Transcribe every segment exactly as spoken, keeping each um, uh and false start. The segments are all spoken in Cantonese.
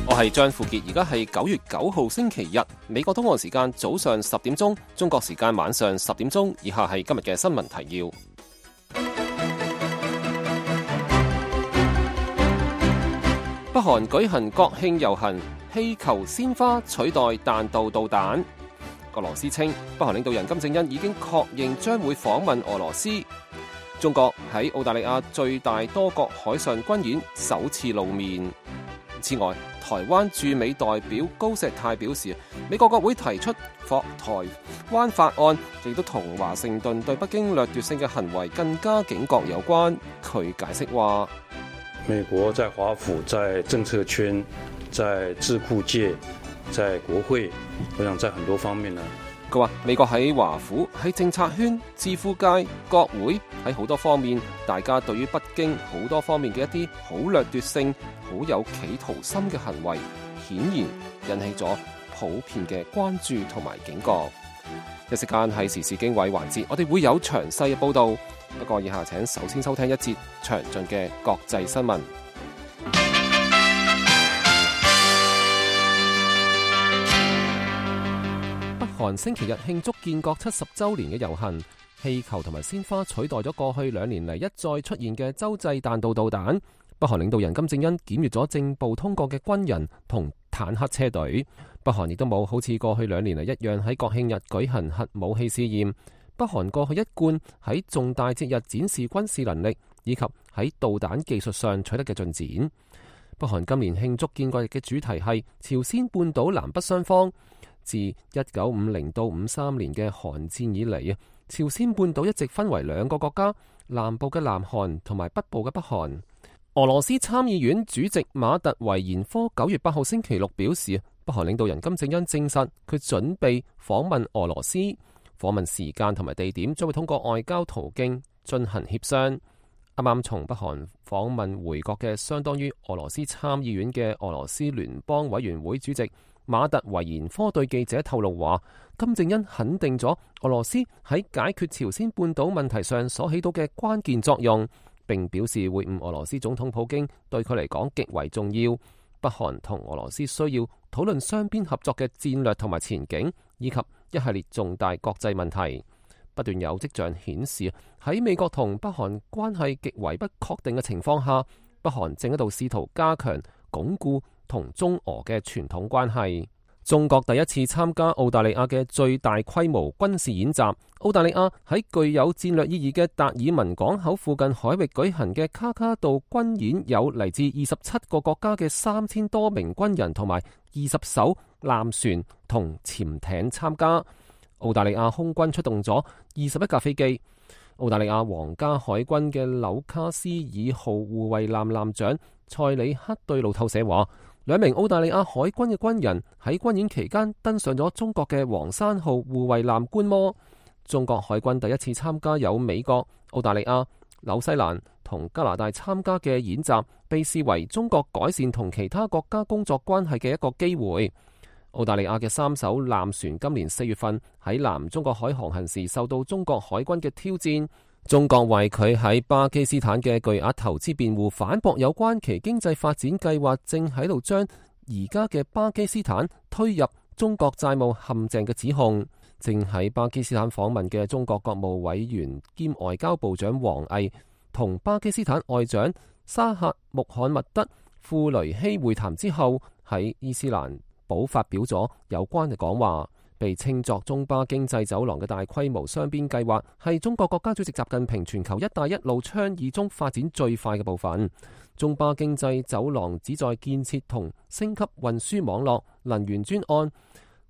我係張富傑，而家係九月九號星期日，美國東岸時間早上十點鐘，中國時間晚上十點鐘。以下係今日嘅新聞提要。北韓舉行國慶遊行，氣球鮮花取代彈道導彈。俄羅斯稱北韓領導人金正恩已經確認將會訪問俄羅斯。中國喺澳大利亞最大多國海上軍演首次露面。此外，台灣駐美代表高石泰表示，美國國會提出訪台灣法案，亦都同華盛頓對北京掠奪性嘅行為更加警覺有關。佢解釋話，美國在華府、在政策圈、在智庫界、在國會，我想在很多方面呢。佢話美國喺華府、喺政策圈、智庫界、國會，喺好多方面，大家對於北京好多方面嘅一啲好掠奪性、好有企圖心嘅行為，顯然引起咗普遍嘅關注同埋警覺。一時間係時事經緯環節，我哋會有詳細嘅報道。不過以下請首先收聽一節詳盡嘅國際新聞。北韓星期日慶祝建國七十週年嘅遊行，氣球同埋鮮花取代咗過去兩年嚟一再出現嘅洲際彈道導彈。北韓領導人金正恩檢閱咗正步通過嘅軍人同坦克車隊。北韓亦都冇好似過去兩年嚟一樣喺國慶日舉行核武器試驗。北韓過去一貫喺重大節日展示軍事能力，以及喺導彈技術上取得嘅進展。北韓今年慶祝建國日嘅主題係朝鮮半島南北雙方。自一九五零到五三年嘅韓戰以嚟啊，朝鮮半島一直分為兩個國家，南部嘅南韓同埋北部嘅北韓。俄羅斯參議院主席馬特維延科九月八號星期六表示，北韓領導人金正恩證實佢準備訪問俄羅斯，訪問時間同埋地點將會通過外交途徑進行協商。啱啱從北韓訪問回國嘅相當於俄羅斯參議院嘅俄羅斯聯邦委員會主席馬特維延科對記者透露話，金正恩肯定咗俄羅斯喺解決朝鮮半島問題上所起到嘅關鍵作用，並表示會晤俄羅斯總統普京對佢嚟講極為重要。北韓同俄羅斯需要討論雙邊合作嘅戰略同埋前景，以及一系列重大國際問題。不斷有跡象顯示，喺美國同北韓關係極為不確定嘅情況下，北韓正喺度試圖加強鞏固同中俄嘅傳統關係。中國第一次參加澳大利亞嘅最大規模軍事演習。澳大利亞喺具有戰略意義嘅達爾文港口附近海域舉行嘅卡卡杜軍演，有嚟自二十七個國家嘅三千多名軍人同埋二十艘艦船同潛艇參加。澳大利亞空軍出動咗二十一架飛機。澳大利亞皇家海軍嘅紐卡斯爾號護衛艦艦長塞里克對路透社話，兩名澳大利亞海軍嘅軍人喺軍演期間登上咗中國嘅黃山號護衛艦觀摩。中國海軍第一次參加有美國、澳大利亞、紐西蘭同加拿大參加嘅演習，被視為中國改善同其他國家工作關係嘅一個機會。澳大利亞嘅三艘艦船今年四月份喺南中國海航行時受到中國海軍嘅挑戰，中國為佢喺巴基斯坦嘅巨額投資辯護，反駁有關其經濟發展計劃正喺度將而家嘅巴基斯坦推入中國債務陷阱嘅指控。正喺巴基斯坦訪問嘅中國國務委員兼外交部長王毅同巴基斯坦外長沙赫穆罕默德庫雷希會談之後，喺伊斯蘭堡發表咗有關嘅講話，被稱作中巴經濟走廊嘅大規模雙邊計劃，係中國國家主席習近平全球一帶一路倡議中發展最快嘅部分。中巴經濟走廊旨在建設同升級運輸網絡、能源專案、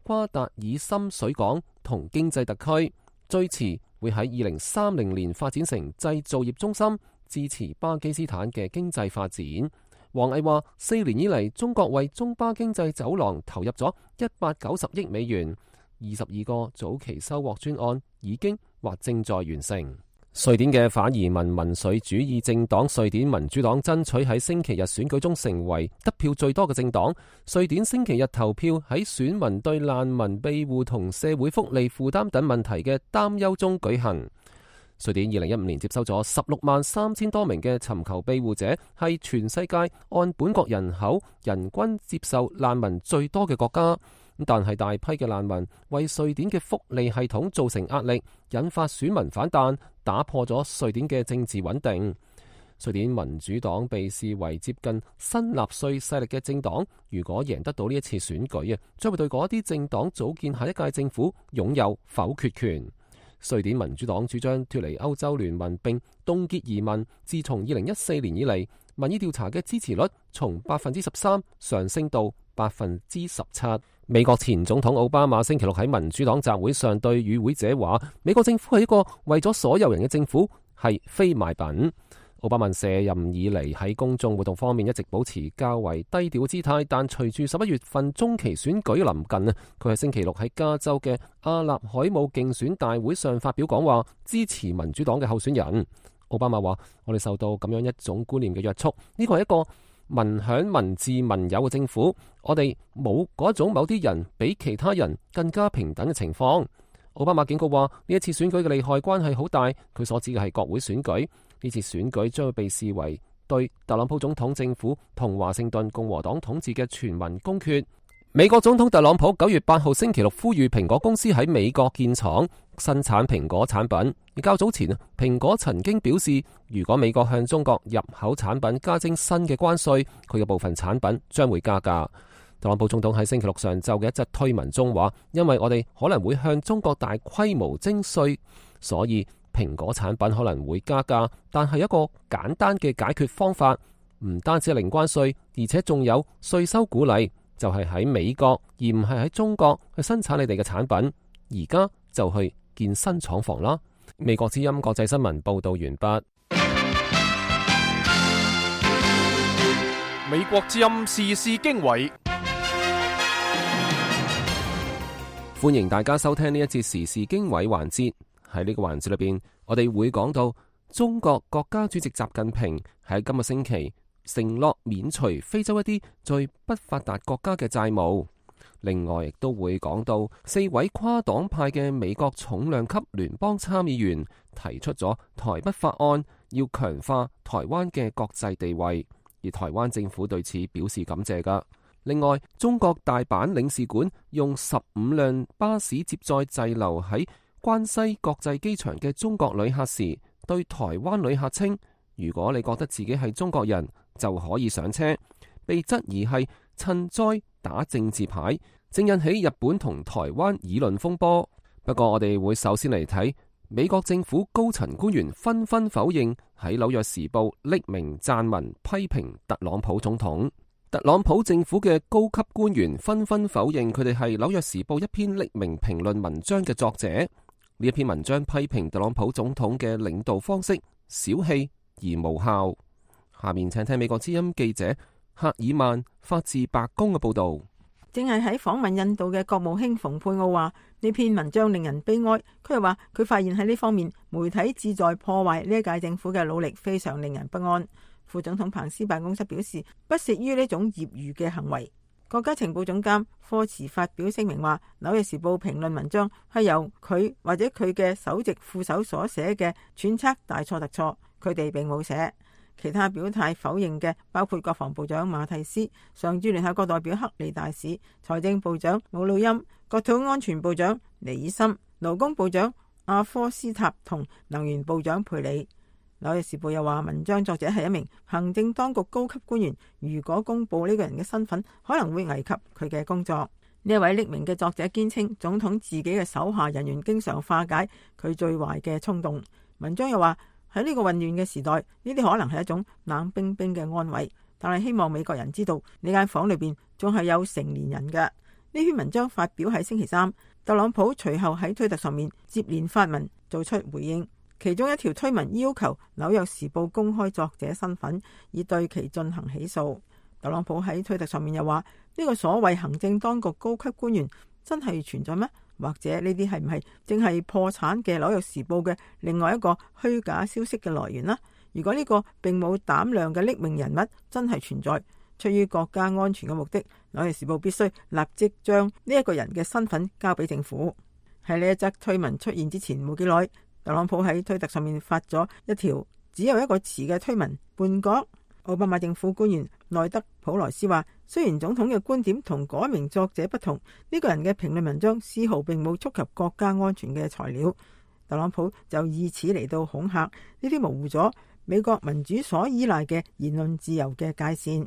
瓜達爾深水港同經濟特區，最遲會喺二零三零年發展成製造業中心，支持巴基斯坦嘅經濟發展。王毅話：四年以嚟，中國為中巴經濟走廊投入咗一百九十億美元，二十二個早期收穫專案已經或正在完成。瑞典嘅反移民民粹主義政黨瑞典民主黨爭取喺星期日選舉中成為得票最多嘅政黨。瑞典星期日投票喺選民對難民庇護同社會福利負擔等問題嘅擔憂中舉行。瑞典二零一五年接收咗十六萬三千多名嘅尋求庇護者，係全世界按本國人口人均接受難民最多嘅國家。但係大批嘅難民為瑞典嘅福利系統造成壓力，引發選民反彈，打破咗瑞典嘅政治穩定。瑞典民主黨被視為接近新納粹勢力嘅政黨，如果贏得到呢一次選舉啊，將會對嗰啲政黨組建下一屆政府擁有否決權。瑞典民主黨主張脫離歐洲聯盟並凍結移民。自從二零一四年以嚟，民意調查嘅支持率從百分之十三上升到百分之十七。美國前總統奧巴馬星期六喺民主黨集會上對與會者話：美國政府係一個為咗所有人嘅政府，係非賣品。奧巴馬卸任以嚟喺公眾活動方面一直保持較為低調嘅姿態，但隨住十一月份中期選舉臨近啊，佢喺星期六喺加州嘅阿納海姆競選大會上發表講話，支持民主黨嘅候選人。奧巴馬話：我哋受到咁樣一種觀念嘅約束，呢個係一個民享民治民有嘅政府，我哋冇嗰種某啲人比其他人更加平等嘅情況。奧巴馬警告話：呢一次選舉嘅利害關係好大，佢所指嘅係國會選舉。呢次選舉將會被視為對特朗普總統政府同華盛頓共和黨統治嘅全民公決。美國總統特朗普九月八號星期六呼籲蘋果公司喺美國建廠生產蘋果產品。而較早前，蘋果曾經表示，如果美國向中國入口產品加徵新嘅關稅，佢嘅部分產品將會加價。特朗普總統喺星期六上晝嘅一則推文中話：因為我哋可能會向中國大規模徵稅，所以蘋果產品可能會加價，但係一個簡單嘅解決方法，唔單止係零關稅，而且仲有稅收鼓勵，就係喺美國而唔係喺中國去生產你哋嘅產品。而家就去建新廠房啦。美國之音國際新聞報道完畢。美國之音時事經緯，歡迎大家收聽呢一節時事經緯環節。喺呢個環節裏邊，我哋會講到中國國家主席習近平喺今個星期承諾免除非洲一啲最不發達國家嘅債務。另外，亦都會講到四位跨黨派嘅美國重量級聯邦參議員提出咗台北法案，要強化台灣嘅國際地位，而台灣政府對此表示感謝噶。另外，中國大阪領事館用十五輛巴士接載滯留喺關西國際機場嘅中國旅客時，對台灣旅客稱：如果你覺得自己係中國人，就可以上車。被質疑係趁災打政治牌，正引起日本同台灣議論風波。不過，我哋會首先嚟睇美國政府高層官員紛紛否認喺紐約時報匿名撰文批評特朗普總統。特朗普政府嘅高級官員紛紛否認佢哋係紐約時報一篇匿名評論文章嘅作者。呢一篇文章批評特朗普總統嘅領導方式小氣而無效。下面請聽美國之音記者赫爾曼發自白宮嘅報道。正係喺訪問印度嘅國務卿蓬佩奧話，呢篇文章令人悲哀。佢又話佢發現喺呢方面媒體旨在破壞呢一屆政府嘅努力非常令人不安。副總統彭斯辦公室表示不屑於呢種業餘嘅行為。國家情報總監科茨發表聲明話，紐約時報評論文章係由佢或者佢嘅首席副手所寫嘅，揣測大錯特錯，佢哋並冇寫。其他表態否認嘅包括國防部長馬蒂斯、常駐聯合國代表克里大使、財政部長姆努欽、國土安全部長尼爾森、勞工部長阿科斯塔同能源部長佩里。紐約時報又話，文章作者係一名行政當局高級官員，如果公布呢個人嘅身份，可能會危及佢嘅工作。呢一位匿名嘅作者堅稱，總統自己嘅手下人員經常化解佢最壞嘅衝動。文章又話，喺呢個混亂嘅時代，呢啲可能係一種冷冰冰嘅安慰，但係希望美國人知道呢間房裏邊仲係有成年人嘅。呢篇文章發表喺星期三，特朗普隨後喺推特上面接連發文做出回應。其中一條推文要求紐約時報公開作者身份，以對其進行起訴。特朗普喺推特上面又話：呢個所謂行政當局高級官員真係存在咩？或者呢啲係唔係正係破產嘅紐約時報嘅另外一個虛假消息嘅來源呢？如果呢個並冇膽量嘅匿名人物真係存在，出於國家安全嘅目的，紐約時報必須立即將呢一個人嘅身份交俾政府。喺呢一則推文出現之前冇幾耐，特朗普喺推特上面發咗一條只有一個詞嘅推文叛國。奧巴馬政府官員內德普萊斯話，雖然總統嘅觀點同嗰一名作者不同，呢個人嘅評論文章絲毫並冇觸及國家安全嘅材料。特朗普就以此嚟到恐嚇，呢啲模糊咗美國民主所依賴嘅言論自由嘅界線。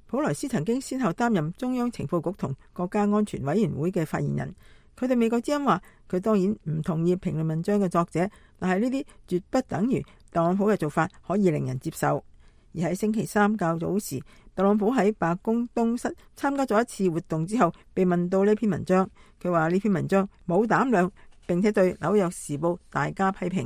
普萊斯曾經先後擔任中央情報局同國家安全委員會嘅發言人。佢對美國之音話，佢當然唔同意評論文章嘅作者，但係呢啲絕不等於特朗普嘅做法可以令人接受。而喺星期三較早時，特朗普喺白宮東室參加咗一次活動之後，被問到呢篇文章，佢話呢篇文章冇膽量，並且對紐約時報大加批評。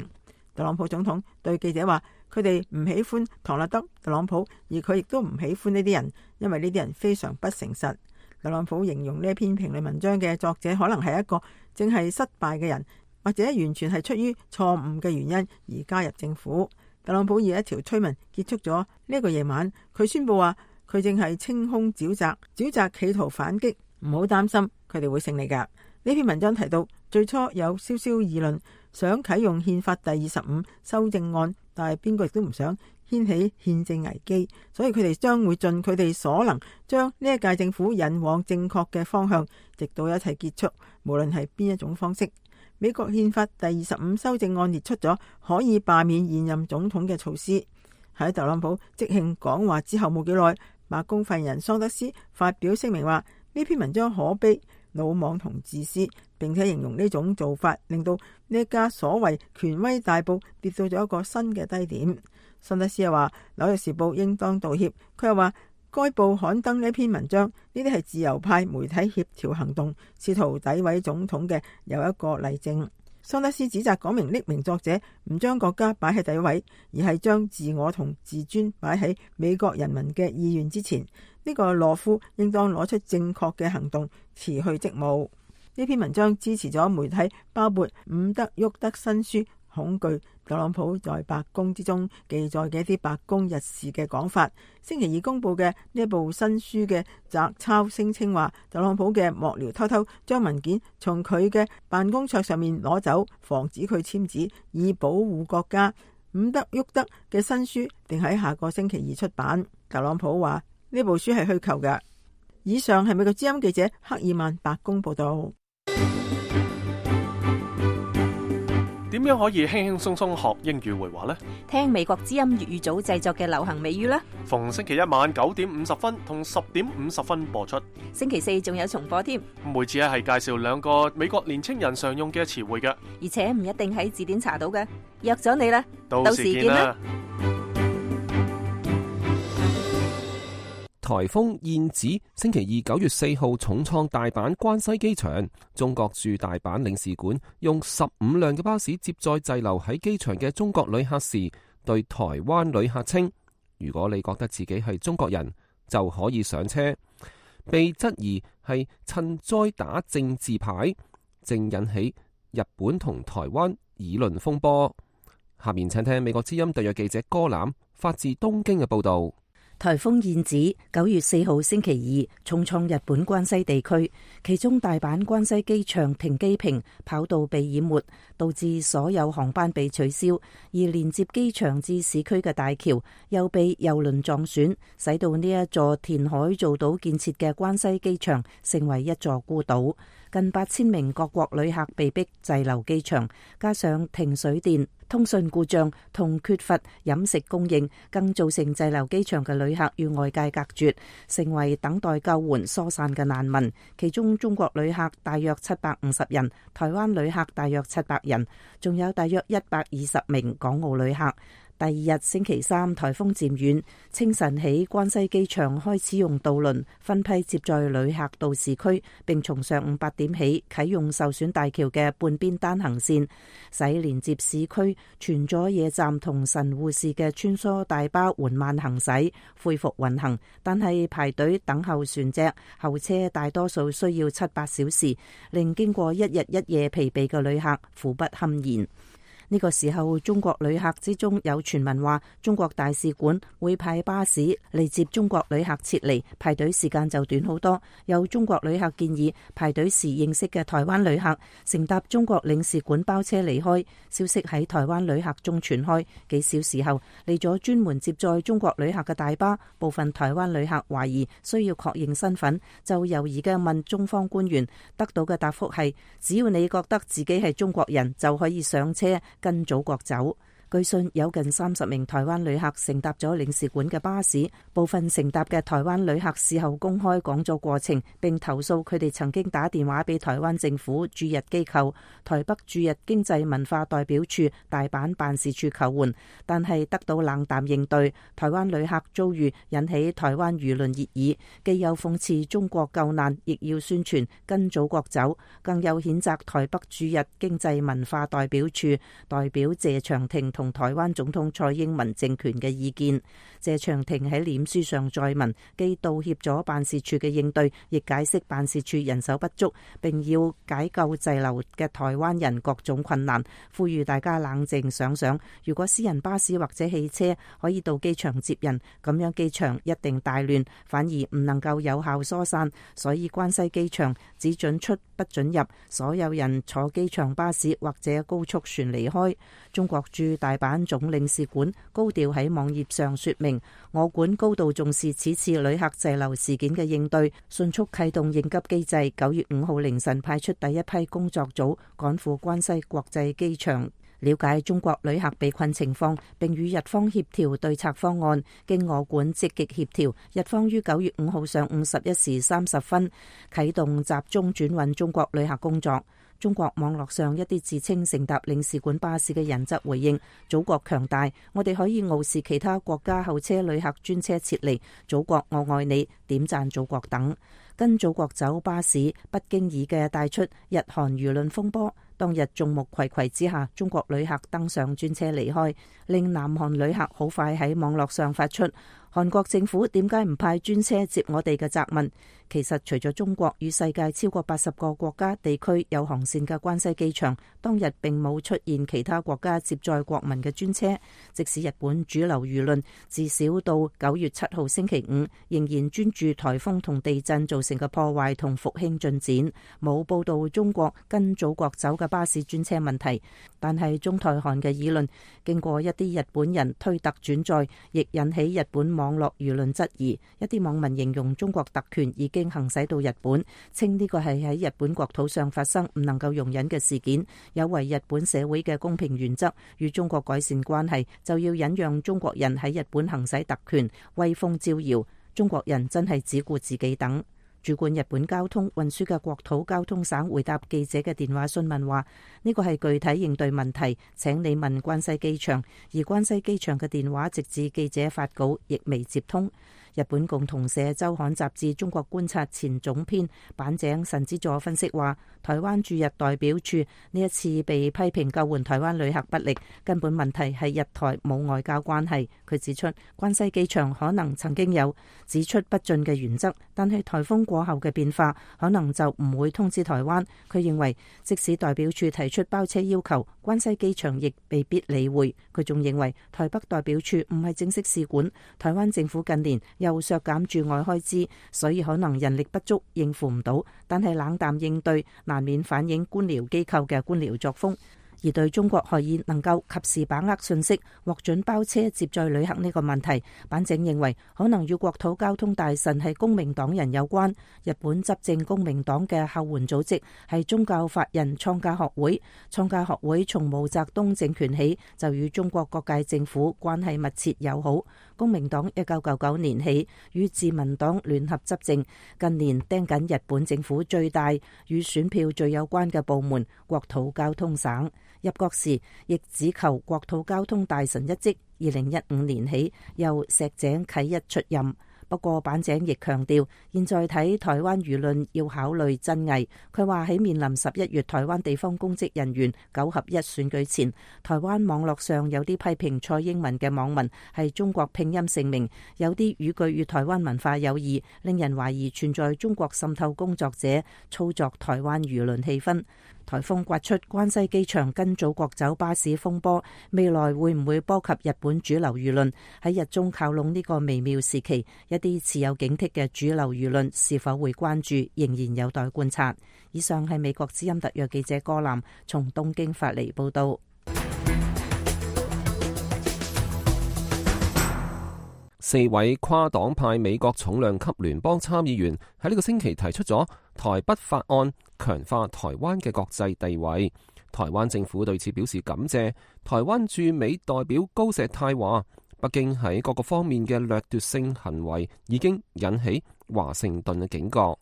特朗普總統對記者話，佢哋唔喜歡唐納德特朗普，而佢亦都唔喜歡呢啲人，因為呢啲人非常不誠實。特朗普形容呢篇評論文章嘅作者可能係一個正係失敗嘅人，或者完全係出於錯誤嘅原因而加入政府。特朗普以一條推文結束咗呢個夜晚，佢宣布話佢正係清空沼澤，沼澤企圖反擊，唔好擔心，佢哋會勝利㗎。呢篇文章提到，最初有稍稍議論想啟用憲法第二十五修正案，但係邊個亦都唔想掀起憲政危機，所以佢哋將會盡佢哋所能將呢一屆政府引往正確嘅方向，直到一切結束，無論係邊一種方式。美國憲法第二十五修正案列出咗可以罷免現任總統嘅措施。喺特朗普即興講話之後冇幾耐，白宮發言人桑德斯發表聲明話，呢篇文章可悲、魯莽同自私，並且形容呢種做法令到呢一家所謂權威大報跌到咗一個新嘅低點。桑德斯又話，紐約時報應當道歉。佢又話，該報刊登呢篇文章，呢啲係自由派媒體協調行動，試圖詆毀總統嘅有一個例證。桑德斯指責嗰名匿名作者唔將國家擺喺第一位，而係將自我同自尊擺喺美國人民嘅意願之前。呢、這個懦夫應當攞出正確嘅行動辭去職務。呢篇文章支持咗媒體包括伍德沃德新書恐懼特朗普在白宮之中記載嘅一啲白宮日事嘅講法。星期二公布嘅呢一部新書嘅摘抄聲稱話，特朗普嘅幕僚偷偷將文件從佢嘅辦公桌上面攞走，防止佢簽字，以保護國家。伍德沃德嘅新書定喺下個星期二出版。特朗普話呢部書係虛構嘅。以上係美國之音記者克爾曼白宮報道。點樣可以輕輕鬆鬆學英語會話呢？聽美國之音粵語組製作嘅流行美語啦。逢星期一晚九點五十分同十點五十分播出。星期四仲有重播添。每次咧係介紹兩個美國年青人常用嘅詞彙嘅，而且唔一定喺字典查到嘅。約咗你啦，到時見啦。颱風燕子星期二九月四號重創大阪關西機場，中國駐大阪領事館用十五輛嘅巴士接載滯留喺機場嘅中國旅客時，對台灣旅客稱：如果你覺得自己係中國人，就可以上車。被質疑係趁災打政治牌，正引起日本同台灣議論風波。下面請聽美國之音特約記者歌欖發自東京嘅報道。颱風燕子九月四號星期二重創日本關西地區，其中大阪關西機場停機坪跑道被淹沒，導致所有航班被取消，而連接機場至市區嘅大橋又被郵輪撞損，使到呢一座填海造島建設嘅關西機場成為一座孤島。近八千名各國旅客被迫滯留機場，加上停水電、通訊故障同缺乏飲食供應，更造成滯留機場嘅旅客與外界隔絕，成為等待救援疏散嘅難民。其中中國旅客大約七百五十人，台灣旅客大約七百人，仲有大約一百二十名港澳旅客。第二日星期三，颱風漸遠，清晨起關西機場開始用渡輪分批接載旅客到市區，並從上午八點起啟用受損大橋嘅半邊單行線，使連接市區全佐野站同神戶市嘅穿梭大巴緩慢行駛，恢復運行。但係排隊等候船隻，候車大多數需要七八小時，令經過一日一夜疲憊嘅旅客苦不堪言。呢個時候，中國旅客之中有傳聞話，中國大使館會派巴士嚟接中國旅客撤離，排隊時間就短好多。有中國旅客建議排隊時認識嘅台灣旅客乘搭中國領事館包車離開。消息喺台灣旅客中傳開，幾小時後嚟咗專門接載中國旅客嘅大巴，部分台灣旅客懷疑需要確認身份，就猶豫嘅問中方官員，得到嘅答覆係：只要你覺得自己係中國人，就可以上車跟祖國走。據信有近三十名台灣旅客乘搭咗領事館嘅巴士，部分乘搭嘅台灣旅客事後公開講咗過程，並投訴佢哋曾經打電話俾台灣政府駐日機構台北駐日經濟文化代表處大阪辦事處求援，但係得到冷淡應對。台灣旅客遭遇引起台灣輿論熱議，既有諷刺中國救難，亦要宣傳跟祖國走，更有譴責台北駐日經濟文化代表處代表謝長廷同同台灣總統蔡英文政權嘅意見。謝長廷喺臉書上載文，既道歉咗辦事處嘅應對，亦解釋辦事處人手不足，並要解救滯留嘅台灣人各種困難，呼籲大家冷靜想想，如果私人巴士或者汽車可以到機場接人，咁樣機場一定大亂，反而唔能夠有效疏散。所以關西機場只准出不准入，所有人坐機場巴士或者高速船離開。中國駐大阪總領事館高調喺網頁上說明，我館高度重視此次旅客滯留事件嘅應對，迅速啟動應急機制。九月五號凌晨派出第一批工作組趕赴關西國際機場，了解中國旅客被困情況，並與日方協調對策方案。經我館積極協調，日方於九月五號上午十一時三十分啟動集中轉運中國旅客工作。中國網絡上一啲自稱乘搭領事館巴士嘅人則回應：祖國強大，我哋可以傲視其他國家候車旅客專車撤離，祖國我愛你，點讚祖國等。跟祖國走巴士不經意嘅帶出日韓輿論風波。當日眾目睽睽之下，中國旅客登上專車離開，令南韓旅客好快喺網絡上發出韓國政府點解唔派專車接我哋嘅責問。其實除咗中國與世界超過八十個國家地區有航線嘅關西機場，當日並冇出現其他國家接載國民嘅專車。即使日本主流輿論至少到九月七號星期五仍然專注颱風同地震造成嘅破壞同復興進展，冇報道中國跟祖國走嘅巴士專車問題。但係中台韓嘅議論經過一啲日本人推特轉載，亦引起日本網絡輿論質疑。一啲網民形容中國特權已經行使到日本，稱呢個係喺日本國土上發生唔能夠容忍嘅事件，有違日本社會嘅公平原則。與中國改善關係，就要忍讓中國人喺日本行使特權，威風招搖。中國人真係只顧自己等。主管日本交通運輸嘅國土交通省回答記者嘅電話詢問話：呢個係具體應對問題，請你問關西機場。而關西機場嘅電話直至記者發稿亦未接通。日本共同社週刊雜誌中國觀察前總編板井慎之助分析話，台灣駐日代表處呢一次被批評救援台灣旅客不力，根本問題係日台冇外交關係。佢指出，關西機場可能曾經有只出不進嘅原則，但係颱風過後嘅變化可能就唔會通知台灣。佢認為，即使代表處提出包車要求，關西機場亦未必理會。佢仲認為，台北代表處唔係正式使館，台灣政府近年又削減駐外開支，所以可能人力不足應付唔到，但係冷淡應對難免反映官僚機構嘅官僚作風。而對中國可以能夠及時把握信息，獲准包車接載旅客呢個問題，板井認為可能與國土交通大臣係公明黨人有關。日本執政公明黨嘅後援組織係宗教法人創價學會，創價學會從毛澤東政權起就與中國各界政府關係密切友好。公明黨一九九九年起與自民黨聯合執政，近年盯緊日本政府最大與選票最有關嘅部門國土交通省。入國時亦只求國土交通大臣一職，二零一五年起由石井啟一出任。不過板井亦強調，現在睇台灣輿論要考慮真偽。佢話喺面臨十一月台灣地方公職人員九合一選舉前，台灣網絡上有啲批評蔡英文嘅網民係中國拼音姓名，有啲語句與台灣文化有異，令人懷疑存在中國滲透工作者操作台灣輿論氣氛。颱風刮出，關西機場跟祖國走巴士風波，未來會唔會波及日本主流輿論？喺日中靠攏呢個微妙時期，一啲持有警惕嘅主流輿論是否會關注，仍然有待觀察。以上係美國之音特約記者柯南從東京發嚟報道。四位跨黨派美國重量級聯邦參議員喺呢個星期提出咗台北法案，強化台灣嘅國際地位。台灣政府對此表示感謝。台灣駐美代表高石泰話，北京喺各個方面嘅掠奪性行為已經引起華盛頓嘅警覺。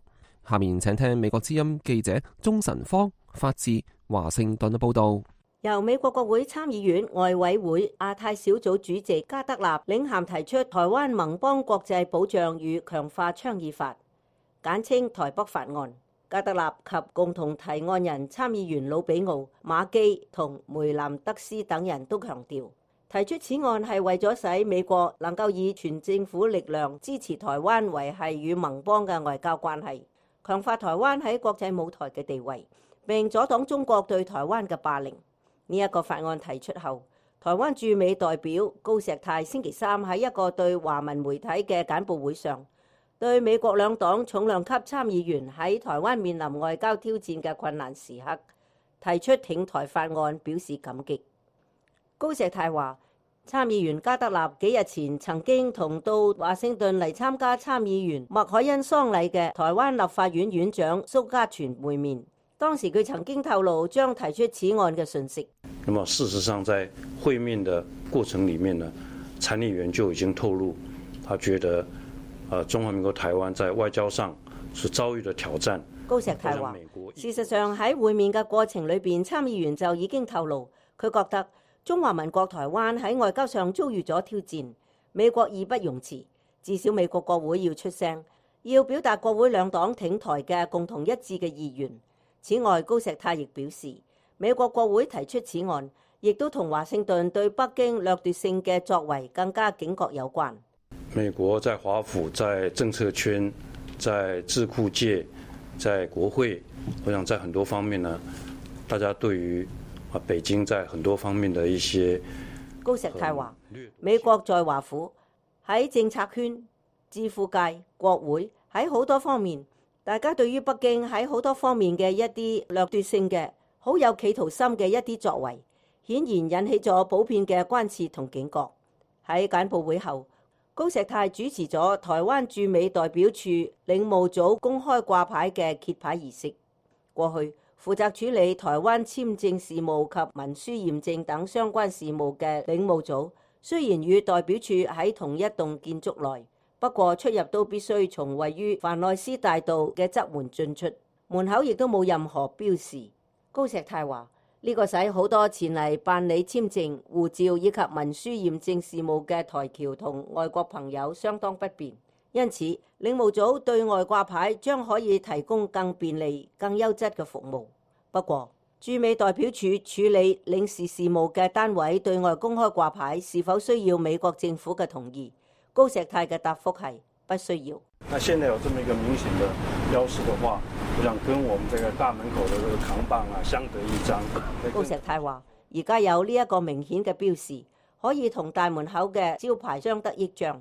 下面請聽美國之音記者鍾晨芳發自華盛頓嘅報道。由美國國會參議院外委會亞太小組主席加德納領銜提出台灣盟邦國際保障與強化倡議法，簡稱台北法案。加德納及共同提案人參議員魯比奧、馬基同梅南德斯等人都強調，提出此案係為咗使美國能夠以全政府力量支持台灣維繫與盟邦嘅外交關係，強化台灣喺國際舞台嘅地位，並阻擋中國對台灣嘅霸凌。呢一個法案提出後，台灣駐美代表高石泰星期三喺一個對華文媒體嘅簡報會上，對美國兩黨重量級參議員喺台灣面臨外交挑戰嘅困難時刻提出挺台法案表示感激。高石泰話，參議員加德納幾日前曾經同到華盛頓嚟參加參議員麥凱恩喪禮嘅台灣立法院院長蘇嘉全會面。當時佢曾經透露將提出此案嘅訊息。那麼事實上，在會面的過程裡面呢，參議員就已經透露，他覺得，呃，中華民國台灣在外交上是遭遇了挑戰。高石泰話，事實上喺會面嘅過程裏邊，參議員就已經透露，佢覺得中華民國台灣喺外交上遭遇咗挑戰，美國義不容辭，至少美國國會要出聲，要表達國會兩黨挺台嘅共同一致嘅意願。此外，高石泰亦表示，美國國會提出此案，亦都同華盛頓對北京掠奪性嘅作為更加警覺有關。美國在華府、在政策圈、在智庫界、在國會，我想在很多方面呢，大家對於啊北京在很多方面的一些，高石泰話，美國在華府、喺政策圈、智庫界、國會喺好多方面。大家對於北京喺好多方面嘅一啲掠奪性嘅、好有企圖心嘅一啲作為，顯然引起咗普遍嘅關切同警覺。喺簡報會後，高石泰主持咗台灣駐美代表處領務組公開掛牌嘅揭牌儀式。過去負責處理台灣簽證事務及文書驗證等相關事務嘅領務組，雖然與代表處喺同一棟建築內，不過出入都必須從位於凡內斯大道嘅側門進出，門口亦都冇任何標示。高石泰話：呢個使好多前嚟辦理簽證、護照以及文書驗證事務嘅台僑同外國朋友相當不便，因此領務組對外掛牌將可以提供更便利、更優質嘅服務。不過，駐美代表處處理領事事務嘅單位對外公開掛牌是否需要美國政府嘅同意？高石泰嘅答覆係不需要。那現在有這麼一個明顯的標示的話，我想跟我們這個大門口的這個扛棒啊相得益彰。高石泰話：而家有呢一個明顯嘅標示，可以同大門口嘅招牌相得益彰，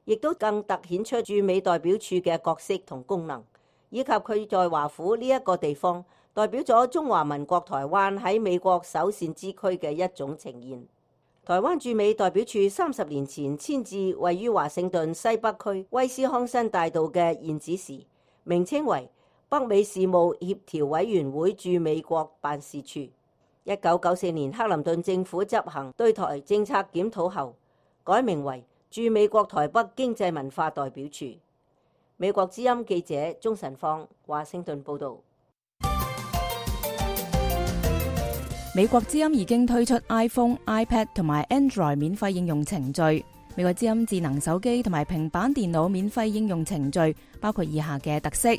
亦都更突顯出駐美代表處嘅角色同功能，以及佢在華府呢一個地方代表咗中華民國台灣喺美國首善之區嘅一種呈現。台灣駐美代表處三十年前遷至位於華盛頓西北區威斯康辛大道嘅現址時，名稱為北美事務協調委員會駐美國辦事處。一九九四年克林頓政府執行對台政策檢討後，改名為駐美國台北經濟文化代表處。美國之音記者鍾晨芳，華盛頓報導。美國之音已經推出 iPhone、iPad 同埋 Android 免費應用程序。美國之音智能手機同埋平板電腦免費應用程序包括以下嘅特色：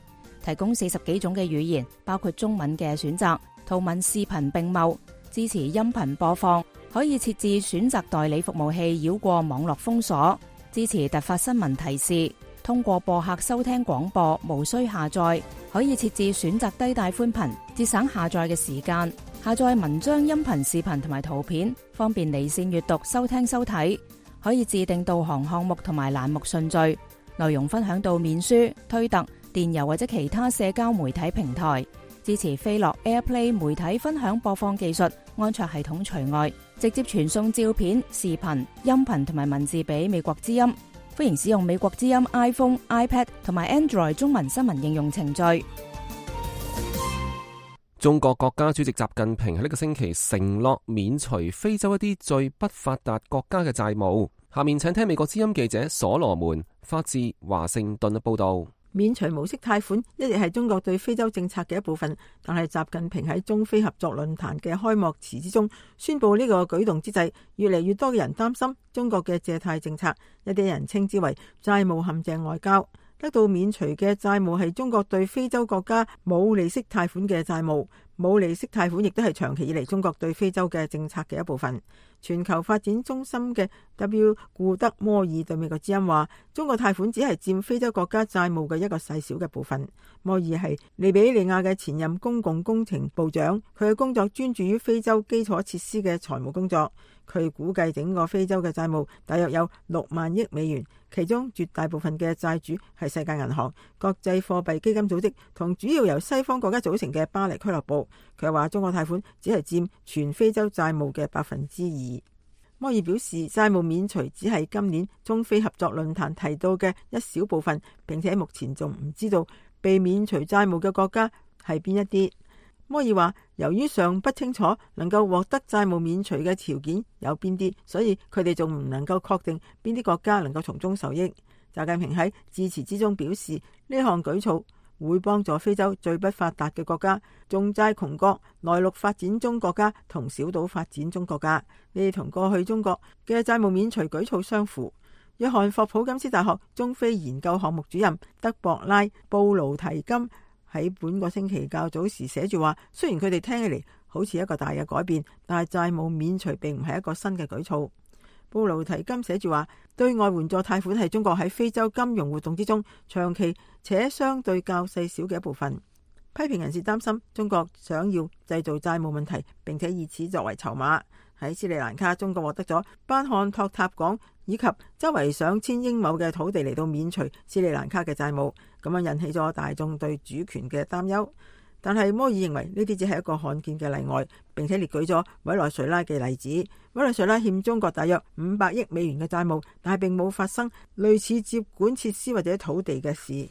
提供四十幾種嘅語言，包括中文嘅選擇，圖文視頻並茂，支持音頻播放，可以設置選擇代理服務器繞過網絡封鎖，支持突發新聞提示，通過播客收聽廣播，無需下載。可以設置選擇低帶寬頻，節省下載嘅時間。下載文章、音頻、視頻同埋圖片，方便離線閱讀、收聽、收睇。可以自定導航項目同埋欄目順序，內容分享到面書、推特、電郵或者其他社交媒體平台。支持飛樂 AirPlay 媒體分享播放技術，安卓系統除外，直接傳送照片、視頻、音頻同埋文字俾美國之音。歡迎使用美國之音 iPhone、iPad 同埋 Android 中文新聞應用程序。中國國家主席習近平喺呢個星期承諾免除非洲一啲最不發達國家嘅債務。下面請聽美國之音記者所羅門發自華盛頓嘅報道。免除無息貸款一直係中國對非洲政策嘅一部分，但係習近平喺中非合作論壇嘅開幕詞之中宣布呢個舉動之際，越嚟越多嘅人擔心中國嘅借貸政策，一啲人稱之為債務陷阱外交。得到免除嘅債務係中國對非洲國家冇利息貸款嘅債務，冇利息貸款亦都係長期以嚟中國對非洲嘅政策嘅一部分。全球發展中心嘅 W 顧德摩爾對美國之音話，中國貸款只係佔非洲國家債務嘅一個細小嘅部分。摩爾係利比里亞嘅前任公共工程部長，佢嘅工作專注於非洲基礎設施嘅財務工作。佢估計整個非洲嘅債務大約有六萬億美元，其中絕大部分嘅債主係世界銀行、國際貨幣基金組織同主要由西方國家組成嘅巴黎俱樂部。佢話中國貸款只係佔全非洲債務嘅百分之二。摩爾表示，債務免除只係今年中非合作論壇提到嘅一小部分，並且目前仲唔知道被免除債務嘅國家係邊一啲。摩爾話，由於尚不清楚能夠獲得債務免除嘅條件有邊啲，所以佢哋仲唔能夠確定邊啲國家能夠從中受益。習近平喺致辭之中表示，呢項舉措會幫助非洲最不發達嘅國家、重債窮國、內陸發展中國家同小島發展中國家。呢啲同過去中國嘅債務免除舉措相符。約翰霍普金斯大學中非研究項目主任德博拉布魯提金喺本個星期較早時寫住話，雖然佢哋聽起嚟好似一個大嘅改變，但係債務免除並唔係一個新嘅舉措。布魯提金寫住話，對外援助貸款係中國喺非洲金融活動之中長期且相對較細小嘅一部分。批評人士擔心中國想要製造債務問題，並且以此作為籌碼。喺斯里蘭卡，中國獲得咗班漢托塔港以及周圍上千英畝嘅土地嚟到免除斯里蘭卡嘅債務，咁樣引起咗大眾對主權嘅擔憂。但係摩爾認為呢啲只係一個罕見嘅例外，並且列舉咗委內瑞拉嘅例子。委內瑞拉欠中國大約五百億美元嘅債務，但係並冇發生類似接管設施或者土地嘅事。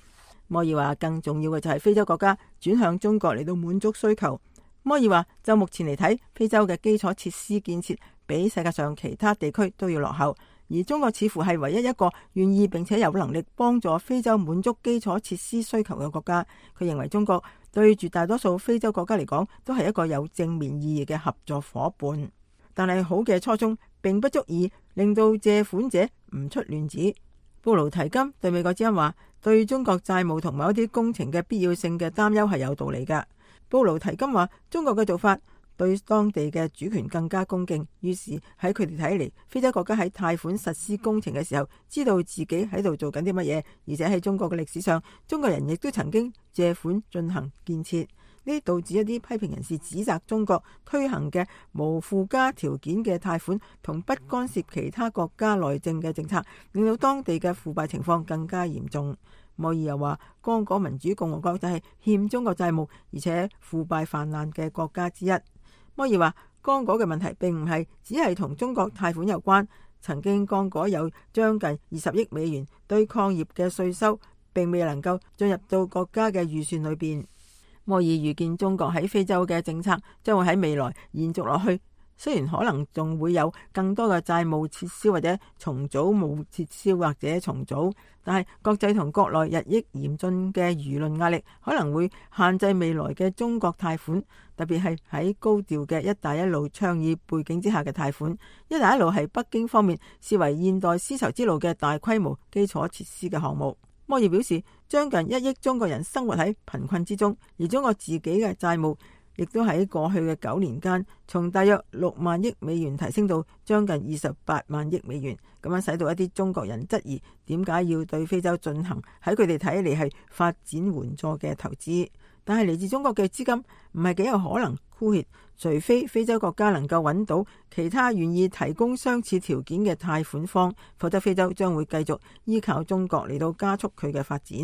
摩爾話，更重要嘅就係非洲國家轉向中國嚟到滿足需求。摩爾話，就目前嚟睇，非洲嘅基礎設施建設比世界上其他地區都要落後，而中國似乎係唯一一個願意並且有能力幫助非洲滿足基礎設施需求嘅國家。佢認為中國對絕大多數非洲國家嚟講都係一個有正面意義嘅合作夥伴，但係好嘅初衷並不足以令到借款者唔出亂子。布魯提金對美國之音話，對中國債務同某一啲工程嘅必要性嘅擔憂係有道理㗎。布魯提金話，中國嘅做法對當地嘅主權更加恭敬，於是喺佢哋睇嚟，非洲國家喺貸款實施工程嘅時候，知道自己喺度做緊啲乜嘢，而且喺中國嘅歷史上，中國人亦都曾經借款進行建設。呢導致一啲批評人士指責中國推行嘅無附加條件嘅貸款同不干涉其他國家內政嘅政策，令到當地嘅腐敗情況更加嚴重。摩爾又話，剛果民主共和國就係欠中國債務而且腐敗泛濫嘅國家之一。摩爾話，剛果嘅問題並唔係只係同中國貸款有關，曾經剛果有將近二十億美元對礦業嘅稅收，並未能夠進入到國家嘅預算裏邊。摩爾預見中國喺非洲嘅政策將會喺未來延續落去，雖然可能仲會有更多嘅債務撤銷或者重組冇撤銷或者重組，但係國際同國內日益嚴峻嘅輿論壓力可能會限制未來嘅中國貸款，特別係喺高調嘅一帶一路倡議背景之下嘅貸款。一帶一路係北京方面視為現代絲綢之路嘅大規模基礎設施嘅項目。摩爾表示，將近一億中國人生活喺貧困之中，而中國自己嘅債務亦都喺過去嘅九年間，從大約六萬億美元提升到將近二十八萬億美元，咁樣使到一啲中國人質疑點解要對非洲進行喺佢哋睇嚟係發展援助嘅投資。但係嚟自中國嘅資金唔係幾有可能枯竭，除非非洲國家能夠揾到其他願意提供相似條件嘅貸款方，否則非洲將會繼續依靠中國嚟到加速佢嘅發展。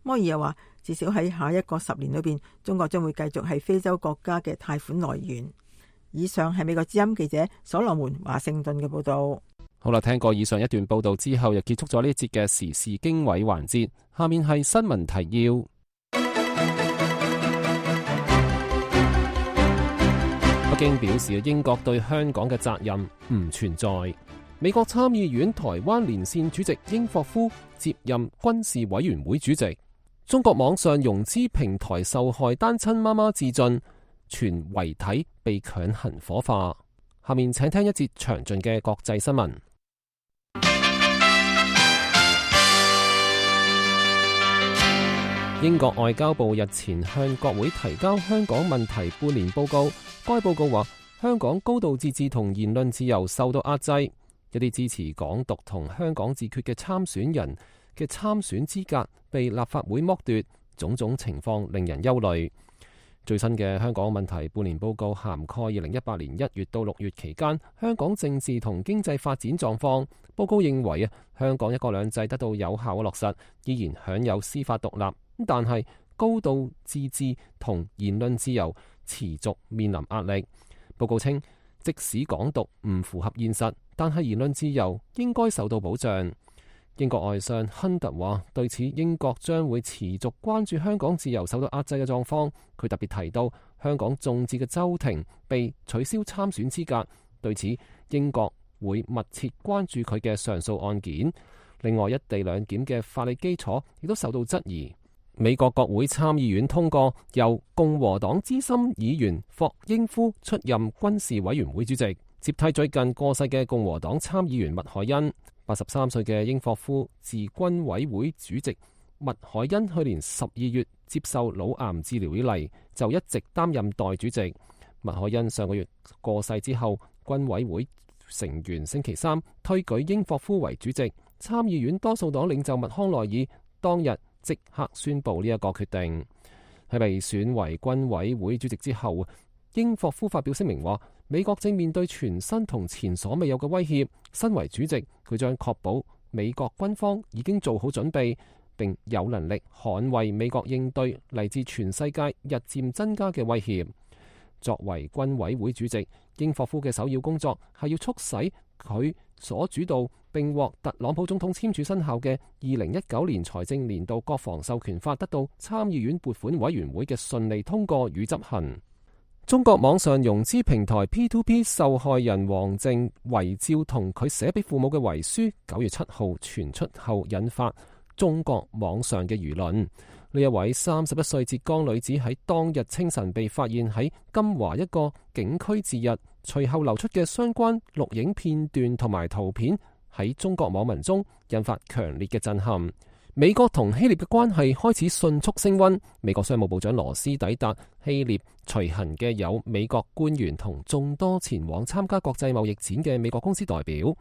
摩爾又話，至少喺下一個十年裏邊，中國將會繼續係非洲國家嘅貸款來源。以上係美國之音記者所羅門華盛頓嘅報道。好啦，聽過以上一段報道之後，又結束咗呢一節嘅時事經緯環節。下面係新聞提要。北京表示，英國對香港嘅責任唔存在。美國參議院台灣連線主席英霍夫接任軍事委員會主席。中國網上融資平台受害單親媽媽自盡，傳遺體被強行火化。下面請聽一節詳盡嘅國際新聞。英國外交部日前向國會提交香港問題半年報告，該報告話香港高度自治同言論自由受到壓制，一啲支持港獨同香港自決嘅參選人嘅參選資格被立法會剝奪，種種情況令人憂慮。最新嘅香港問題半年報告涵蓋二零一八年一月到六月期間香港政治同經濟發展狀況。報告認為啊，香港一國兩制得到有效嘅落實，依然享有司法獨立，但係高度自治同言論自由持續面臨壓力。報告稱，即使港獨唔符合現實，但係言論自由應該受到保障。英國外相亨特話，對此英國將會持續關注香港自由受到壓制嘅狀況。佢特別提到香港眾志嘅周庭被取消參選資格，對此英國會密切關注佢嘅上訴案件。另外，一地兩檢嘅法理基礎亦都受到質疑。美國國會參議院通過由共和黨資深議員霍英夫出任軍事委員會主席，接替最近過世嘅共和黨參議員麥凱恩。八十三歲嘅英霍夫自軍委會主席麥凱恩去年十二月接受腦癌治療以嚟，就一直擔任代主席。麥凱恩上個月過世之後，軍委會成員星期三推舉英霍夫為主席。參議院多數黨領袖麥康奈爾當日即刻宣布呢一個決定。喺被選為軍委會主席之後，英霍夫發表聲明話，美國正面對全新同前所未有嘅威脅。身為主席，佢將確保美國軍方已經做好準備，並有能力捍衛美國應對嚟自全世界日漸增加嘅威脅。作為軍委會主席，英霍夫嘅首要工作係要促使佢所主導並獲特朗普總統簽署生效嘅二零一九年財政年度國防授權法得到參議院撥款委員會嘅順利通過與執行。中國網上融資平台 P to P 受害人王靜遺照同佢寫俾父母嘅遺書，九月七號傳出後，引發中國網上嘅輿論。呢一位三十一歲浙江女子喺當日清晨被發現喺金華一個景區自縊，隨後流出嘅相關錄影片段同埋圖片喺中國網民中引發強烈嘅震撼。美國同希臘嘅關係開始迅速升溫。美國商務部長羅斯抵達希臘，隨行嘅有美國官員同眾多前往參加國際貿易展嘅美國公司代表。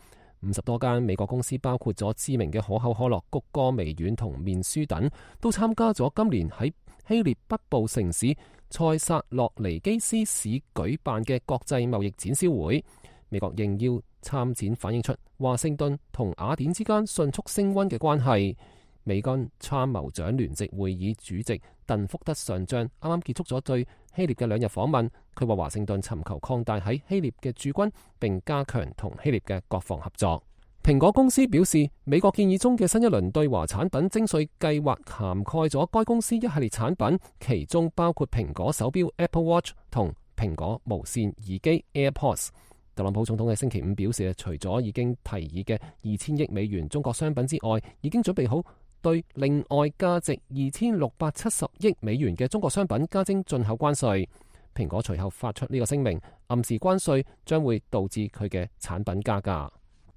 五十多間美國公司，包括咗知名嘅可口可樂、谷歌微軟同面書等，都參加咗今年喺希臘北部城市塞薩洛尼基斯市舉辦嘅國際貿易展銷會。美國應邀參展，反映出華盛頓同雅典之間迅速升溫嘅關係。美軍參謀長聯席會議主席鄧福德上將啱啱結束咗對希臘嘅兩日訪問，佢話華盛頓尋求擴大喺希臘嘅駐軍，並加強同希臘嘅國防合作。蘋果公司表示，美國建議中嘅新一輪對華產品徵稅計劃涵蓋咗該公司一系列產品，其中包括蘋果手錶 Apple Watch 同蘋果無線耳機 AirPods。特朗普總統喺星期五表示，除咗已經提議嘅二千億美元中國商品之外，已經準備好對另外價值二千六百七十億美元嘅中國商品加徵進口關稅。蘋果隨後發出呢個聲明，暗示關稅將會導致佢嘅產品加價。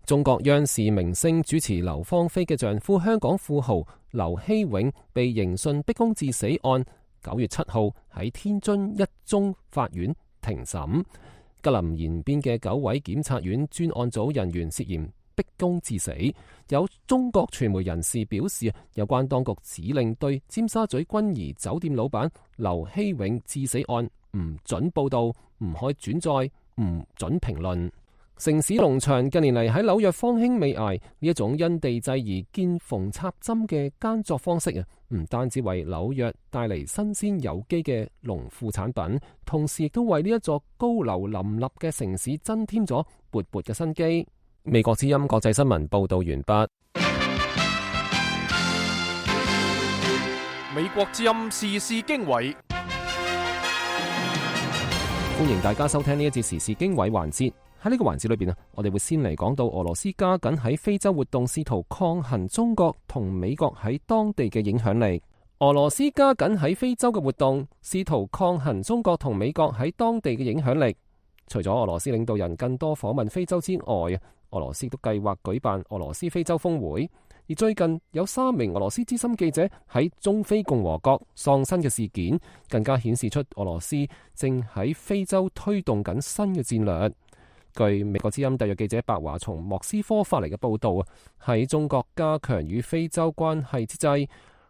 中國央視明星主持劉芳菲嘅丈夫香港富豪劉希永被刑訊逼供致死案九月七號喺天津一中法院庭審。吉林延邊嘅九位檢察院專案組人員涉嫌逼供致死。有中國傳媒人士表示，有關當局指令對尖沙咀君怡酒店老闆劉希永致死案唔准報道、唔可以轉載、唔准評論。城市農場近年嚟喺紐約方興未艾，呢一種因地制宜見縫插針嘅耕作方式啊，唔單止為紐約帶嚟新鮮有機嘅農副產品，同時亦都為呢一座高樓林立嘅城市增添咗勃勃嘅生機。美國之音國際新聞報道完畢。美國之音時事經緯，歡迎大家收聽呢一節時事經緯環節。喺呢個環節裏邊啊，我哋會先嚟講到俄羅斯加緊喺非洲活動，試圖抗衡中國同美國喺當地嘅影響力。俄羅斯加緊喺非洲嘅活動，試圖抗衡中國同美國喺當地嘅影響力。除咗俄羅斯領導人更多訪問非洲之外，俄羅斯都計劃舉辦俄羅斯非洲峰會。而最近有三名俄羅斯資深記者喺中非共和國喪生嘅事件，更加顯示出俄羅斯正喺非洲推動緊新嘅戰略。據美國之音特約記者白華從莫斯科發嚟嘅報道啊，喺中國加強與非洲關係之際，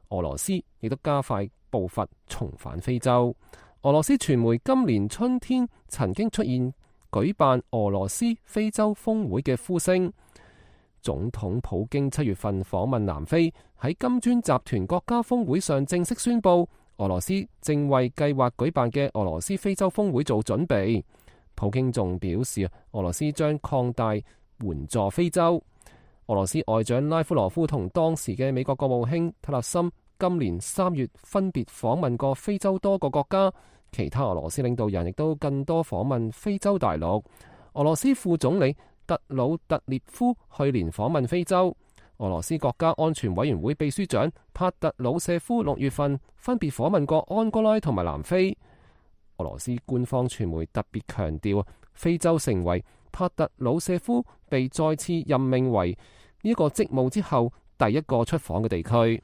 俄羅斯亦都加快步伐重返非洲。俄羅斯傳媒今年春天曾經出現舉辦俄羅斯非洲峰會嘅呼聲。總統普京七月份訪問南非，喺金磚集團國家峰會上正式宣布，俄羅斯正為計劃舉辦嘅俄羅斯非洲峰會做準備。普京仲表示，俄羅斯將擴大援助非洲。俄羅斯外長拉夫羅夫同當時嘅美國國務卿特勒森今年三月分別訪問過非洲多個國家，其他俄羅斯領導人亦都更多訪問非洲大陸。俄羅斯副總理特魯特列夫去年訪問非洲。俄羅斯國家安全委員會秘書長帕特魯舍夫六月份分別訪問過安哥拉同埋南非。俄羅斯官方傳媒特別強調，非洲成為帕特魯舍夫被再次任命為呢個職務之後第一個出訪嘅地區。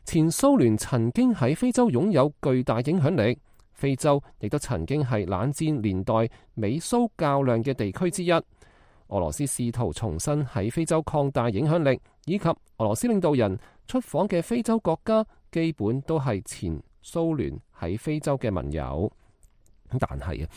前蘇聯曾經喺非洲擁有巨大影響力，非洲亦都曾經係冷戰年代美蘇較量嘅地區之一。俄羅斯試圖重新喺非洲擴大影響力，以及俄羅斯領導人出訪嘅非洲國家，基本都係前蘇聯喺非洲嘅盟友。但係啊，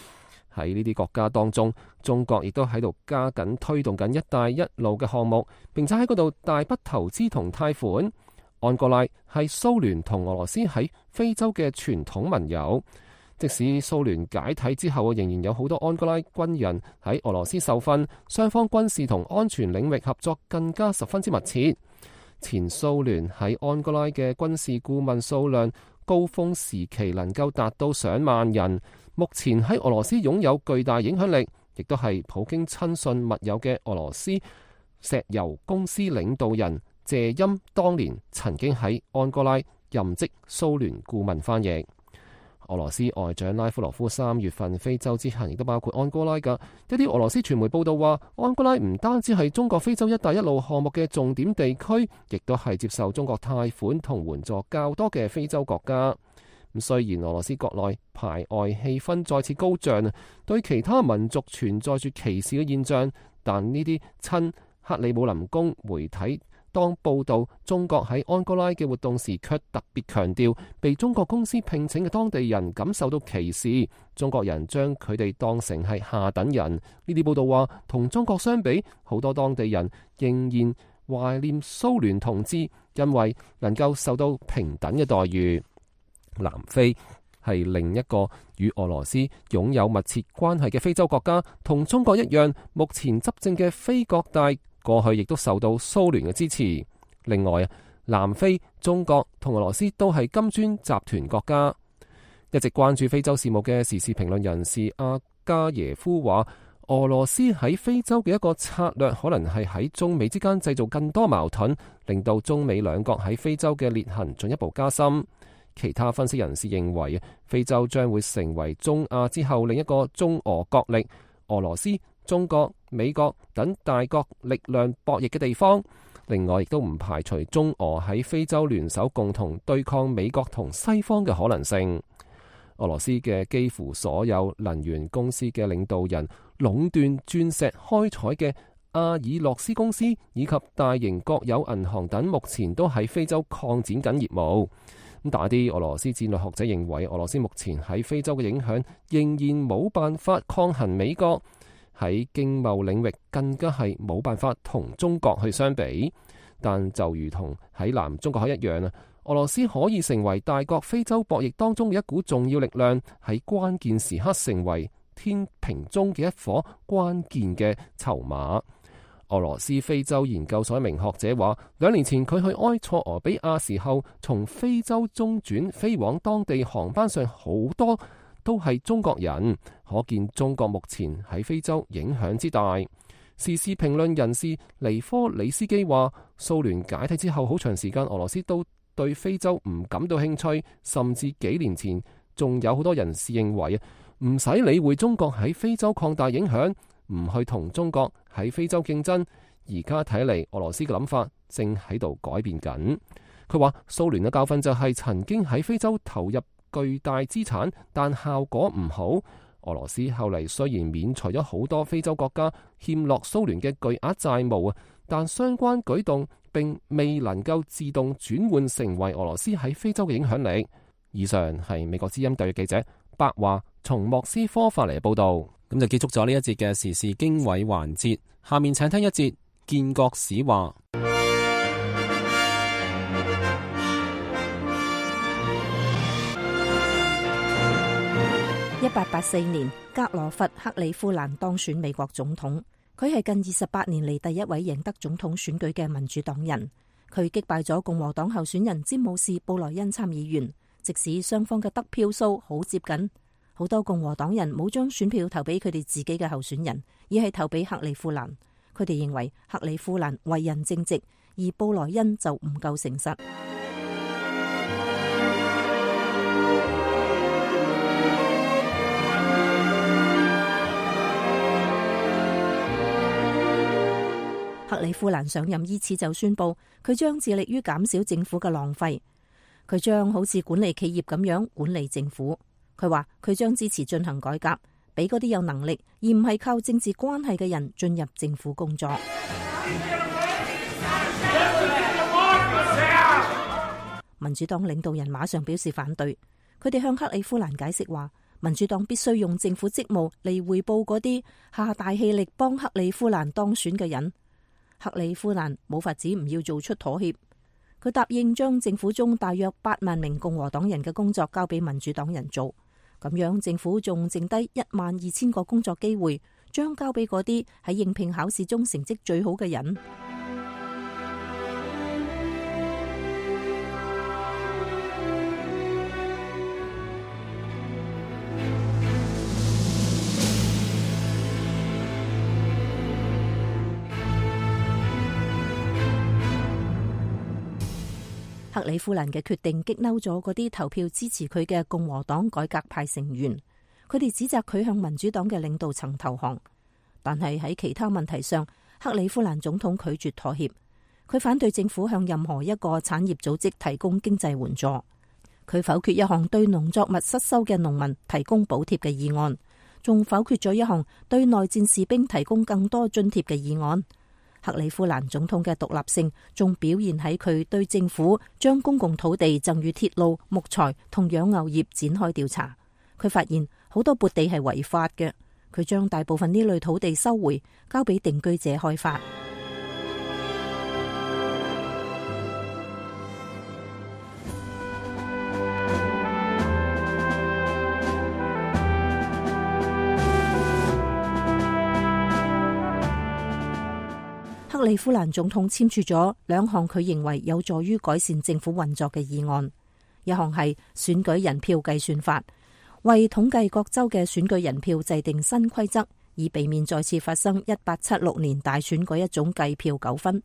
喺呢啲國家當中，中國亦都喺度加緊推動緊一帶一路嘅項目，並且喺嗰度大筆投資同貸款。安哥拉係蘇聯同俄羅斯喺非洲嘅傳統盟友，即使蘇聯解體之後，仍然有好多安哥拉軍人喺俄羅斯受訓，雙方軍事同安全領域合作更加十分之密切。前蘇聯喺安哥拉嘅軍事顧問數量高峰時期能夠達到上萬人。目前喺俄羅斯擁有巨大影響力，亦都係普京親信密友嘅俄羅斯石油公司領導人謝欽，當年曾經喺安哥拉任職蘇聯顧問翻譯。俄羅斯外長拉夫羅夫三月份非洲之行亦都包括安哥拉㗎。一啲俄羅斯傳媒報道話，安哥拉唔單止係中國非洲一帶一路項目嘅重點地區，亦都係接受中國貸款同援助較多嘅非洲國家。咁雖然俄羅斯國內排外氣氛再次高漲，對其他民族存在住歧視嘅現象，但呢啲親克里姆林宮媒體當報導中國喺安哥拉嘅活動時，卻特別強調被中國公司聘請嘅當地人感受到歧視，中國人將佢哋當成係下等人。呢啲報導話，同中國相比，好多當地人仍然懷念蘇聯統治，因為能夠受到平等嘅待遇。南非係另一個與俄羅斯擁有密切關係嘅非洲國家，同中國一樣，目前執政嘅非國大過去亦都受到蘇聯嘅支持。另外啊，南非、中國同俄羅斯都係金磚集團國家。一直關注非洲事務嘅時事評論人士阿加耶夫話，俄羅斯喺非洲嘅一個策略可能係喺中美之間製造更多矛盾，令到中美兩國喺非洲嘅裂痕進一步加深。其他分析人士認為，非洲將會成為中亞之後另一個中俄角力，俄羅斯、中國、美國等大國力量博弈嘅地方。另外，亦都唔排除中俄喺非洲聯手共同對抗美國同西方嘅可能性。俄羅斯嘅幾乎所有能源公司嘅領導人壟斷鑽石開採嘅阿爾洛斯公司以及大型國有銀行等，目前都喺非洲擴展緊業務。咁但係啲俄羅斯戰略學者認為，俄羅斯目前喺非洲嘅影響仍然冇辦法抗衡美國。喺經貿領域更加係冇辦法同中國去相比，但就如同喺南中國海一樣啊，俄羅斯可以成為大國非洲博弈當中嘅一股重要力量，喺關鍵時刻成為天平中嘅一顆關鍵嘅籌碼。俄羅斯非洲研究所一名學者話，兩年前佢去埃塞俄比亞時候，從非洲中轉飛往當地航班上好多都係中國人，可見中國目前喺非洲影響之大。時事評論人士尼科里斯基話，蘇聯解體之後好長時間，俄羅斯都對非洲唔感到興趣，甚至幾年前仲有好多人士認為唔使理會中國喺非洲擴大影響，唔去同中國喺非洲競爭。而家睇嚟，俄羅斯嘅諗法正喺度改變緊。佢話蘇聯嘅教訓就係曾經喺非洲投入巨大資產，但效果唔好。俄羅斯後嚟雖然免除咗好多非洲國家欠落蘇聯嘅巨額債務啊，但相關舉動並未能夠自動轉換成為俄羅斯喺非洲嘅影響力。以上係美國之音特約記者白華從莫斯科發嚟嘅報道。咁就結束咗呢一節嘅時事經緯環節。下面請聽一節建國史話。一八八四年，格羅佛克里夫蘭當選美國總統。佢係近二十八年嚟第一位贏得總統選舉嘅民主黨人。佢擊敗咗共和黨候選人詹姆士布萊恩參議員，即使雙方嘅得票數好接近，好多共和黨人冇將選票投俾佢哋自己嘅候選人，而係投俾克里夫蘭。佢哋認為克里夫蘭為人正直，而布萊恩就唔夠誠實。克里夫蘭上任伊始就宣布，佢將致力於減少政府嘅浪費。佢將好似管理企業咁樣管理政府。佢話佢將支持進行改革，俾嗰啲有能力而唔係靠政治關係嘅人進入政府工作。民主黨領導人馬上表示反對。佢哋向克里夫蘭解釋話，民主黨必須用政府職務嚟回報嗰啲下大氣力幫克里夫蘭當選嘅人。克里夫蘭冇法子唔要做出妥協，佢答應將政府中大約八萬名共和黨人嘅工作交俾民主黨人做，咁樣政府仲剩低一萬二千個工作機會，將交俾嗰啲喺應聘考試中成績最好嘅人。克里夫蘭嘅決定激嬲咗嗰啲投票支持佢嘅共和黨改革派成員，佢哋指責佢向民主黨嘅領導層投降。但係喺其他問題上，克里夫蘭總統拒絕妥協。佢反對政府向任何一個產業組織提供經濟援助。佢否決一項對農作物失收嘅農民提供補貼嘅議案，仲否決咗一項對內戰士兵提供更多津貼嘅議案。克里夫蘭總統嘅獨立性仲表現喺佢對政府將公共土地贈予鐵路、木材同養牛業展開調查。佢發現好多撥地係違法嘅，佢將大部分呢類土地收回，交俾定居者開發。克里夫蘭總統簽署咗兩項佢認為有助於改善政府運作嘅議案，一項係選舉人票計算法，為統計各州嘅選舉人票制定新規則，以避免再次發生一八七六年大選嗰一種計票糾紛。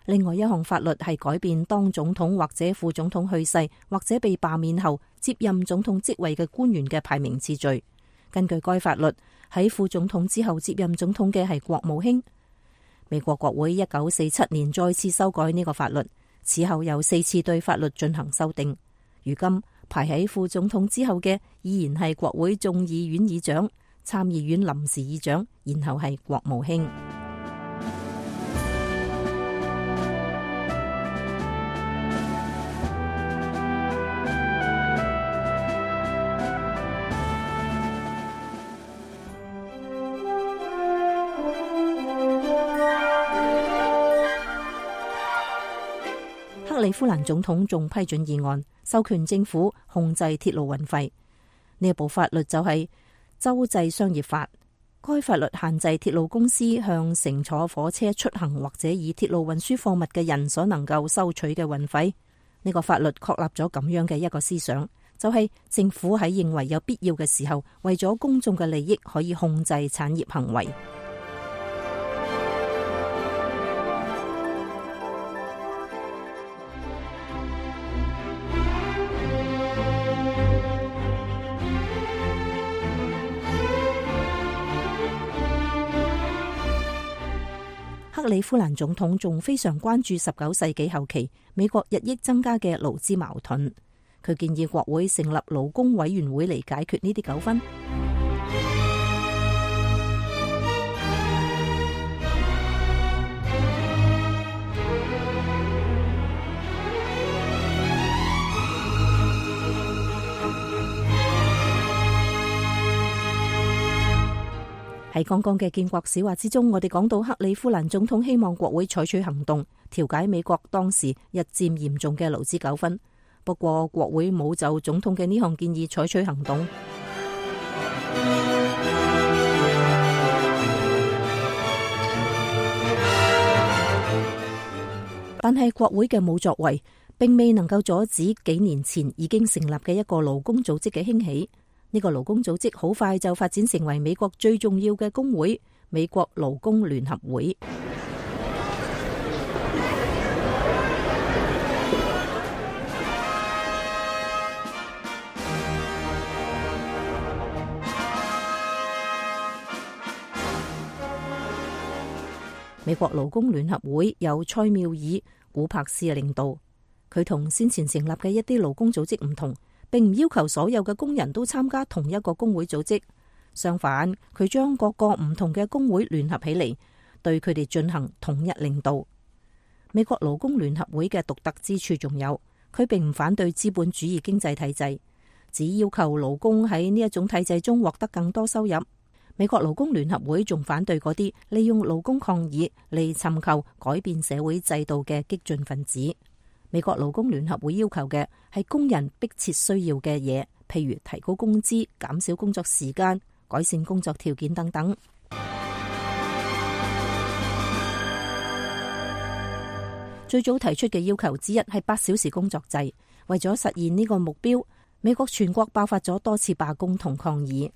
另外一項法律係改變當總統或者副總統去世或者被罷免後接任總統職位嘅官員嘅排名次序。根據該法律，喺副總統之後接任總統嘅係國務卿。美國國會一九四七年再次修改呢個法律，此後又四次對法律進行修訂。如今排喺副總統之後嘅依然係國會眾議院議長、參議院臨時議長，然後係國務卿。克里夫蘭總統仲批准議案，授權政府控制鐵路運費。呢一部法律就係州際商業法。該法律限制鐵路公司向乘坐火車出行或者以鐵路運輸貨物嘅人所能夠收取嘅運費。呢個法律確立咗咁樣嘅一個思想，就係政府喺認為有必要嘅時候，為咗公眾嘅利益，可以控制產業行為。克里夫蘭總統仲非常關注十九世紀後期美國日益增加嘅勞資矛盾，佢建議國會成立勞工委員會嚟解決呢啲糾紛。喺剛剛嘅建國史話之中，我哋講到克里夫蘭總統希望國會採取行動，調解美國當時日漸嚴重嘅勞資糾紛。不過國會冇就總統嘅呢項建議採取行動。但係國會嘅冇作為，並未能夠阻止幾年前已經成立嘅一個勞工組織嘅興起。呢個勞工組織好快就發展成為美國最重要嘅工會——美國勞工聯合會。美國勞工聯合會由塞繆爾·古柏斯領導，佢同先前成立嘅一啲勞工組織唔同，並唔要求所有嘅工人都參加同一個工會組織。相反，佢將各個唔同嘅工會聯合起嚟，對佢哋進行統一領導。美國勞工聯合會嘅獨特之處仲有，佢並唔反對資本主義經濟體制，只要求勞工喺呢一種體制中獲得更多收入。美國勞工聯合會仲反對嗰啲利用勞工抗議嚟尋求改變社會制度嘅激進分子。美國勞工聯合會要求嘅係工人迫切需要嘅嘢，譬如提高工資、減少工作時間、改善工作條件等等。最早提出嘅要求之一係八小時工作制。為咗實現呢個目標，美國全國爆發咗多次罷工同抗議。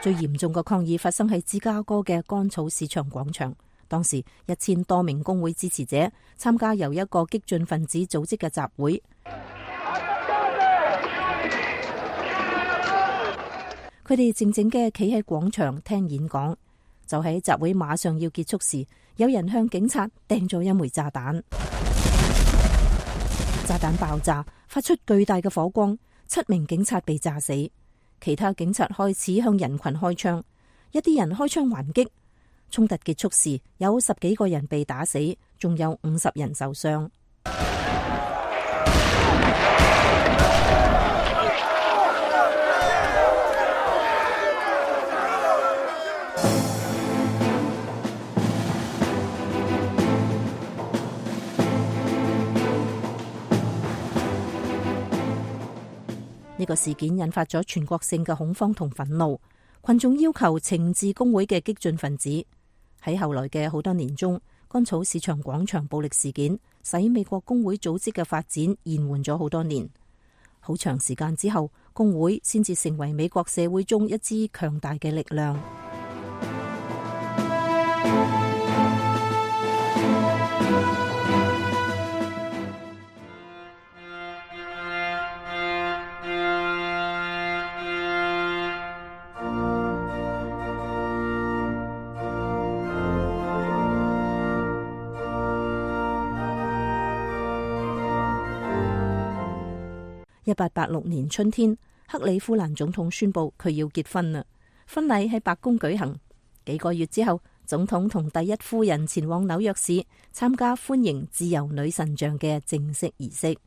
最嚴重嘅抗議發生喺芝加哥嘅乾草市場廣場。當時一千多名工會支持者參加由一個激進分子組織嘅集會，佢哋靜靜嘅企喺廣場聽演講。就喺集會馬上要結束時，有人向警察掟咗一枚炸彈，炸彈爆炸，發出巨大嘅火光，七名警察被炸死。其他警察開始向人群開槍，一啲人開槍還擊。衝突結束時，有十幾個人被打死，仲有五十人受傷。呢個事件引發咗全國性嘅恐慌同憤怒，群眾要求懲治工會嘅激進分子。喺後來嘅好多年中，乾草市場廣場暴力事件使美國工會組織嘅發展延緩咗好多年。好長時間之後，工會先至成為美國社會中一支強大嘅力量。一八八六年春天，克里夫蘭總統宣布佢要結婚啦。婚禮喺白宮舉行。幾個月之後，總統同第一夫人前往紐約市參加歡迎自由女神像嘅正式儀式。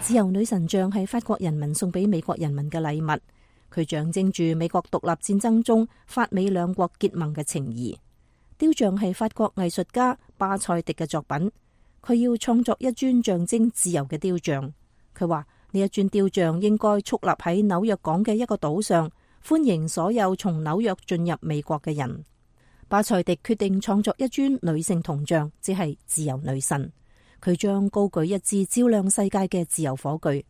自由女神像係法國人民送俾美國人民嘅禮物，佢象徵住美國獨立戰爭中法美兩國結盟嘅情誼。雕像係法國藝術家巴塞迪嘅作品，佢要創作一尊象徵自由嘅雕像。佢話呢一尊雕像應該矗立喺紐約港嘅一個島上，歡迎所有從紐約進入美國嘅人。巴塞迪決定創作一尊女性銅像，即係自由女神。佢將高舉一支照亮世界嘅自由火炬。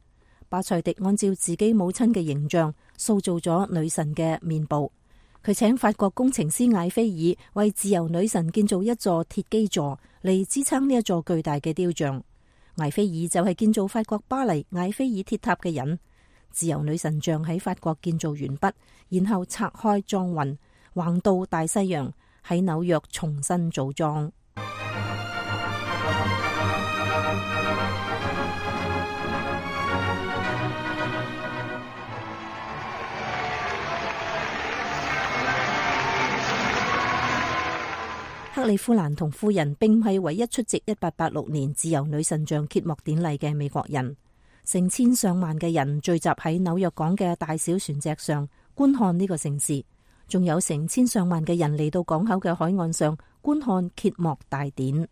巴塞迪按照自己母親嘅形象塑造咗女神嘅面部。佢請法國工程師艾菲爾為自由女神建造一座鐵基座嚟支撐呢一座巨大嘅雕像。艾菲爾就係建造法國巴黎艾菲爾鐵塔嘅人。自由女神像喺法國建造完畢，然後拆開裝運，橫渡大西洋，喺紐約重新組裝。克里夫蘭同夫人並唔係唯一出席一八八六年自由女神像揭幕典禮嘅美國人，成千上萬嘅人聚集喺紐約港嘅大小船隻上觀看呢個盛事，仲有成千上萬嘅人嚟到港口嘅海岸上觀看揭幕大典。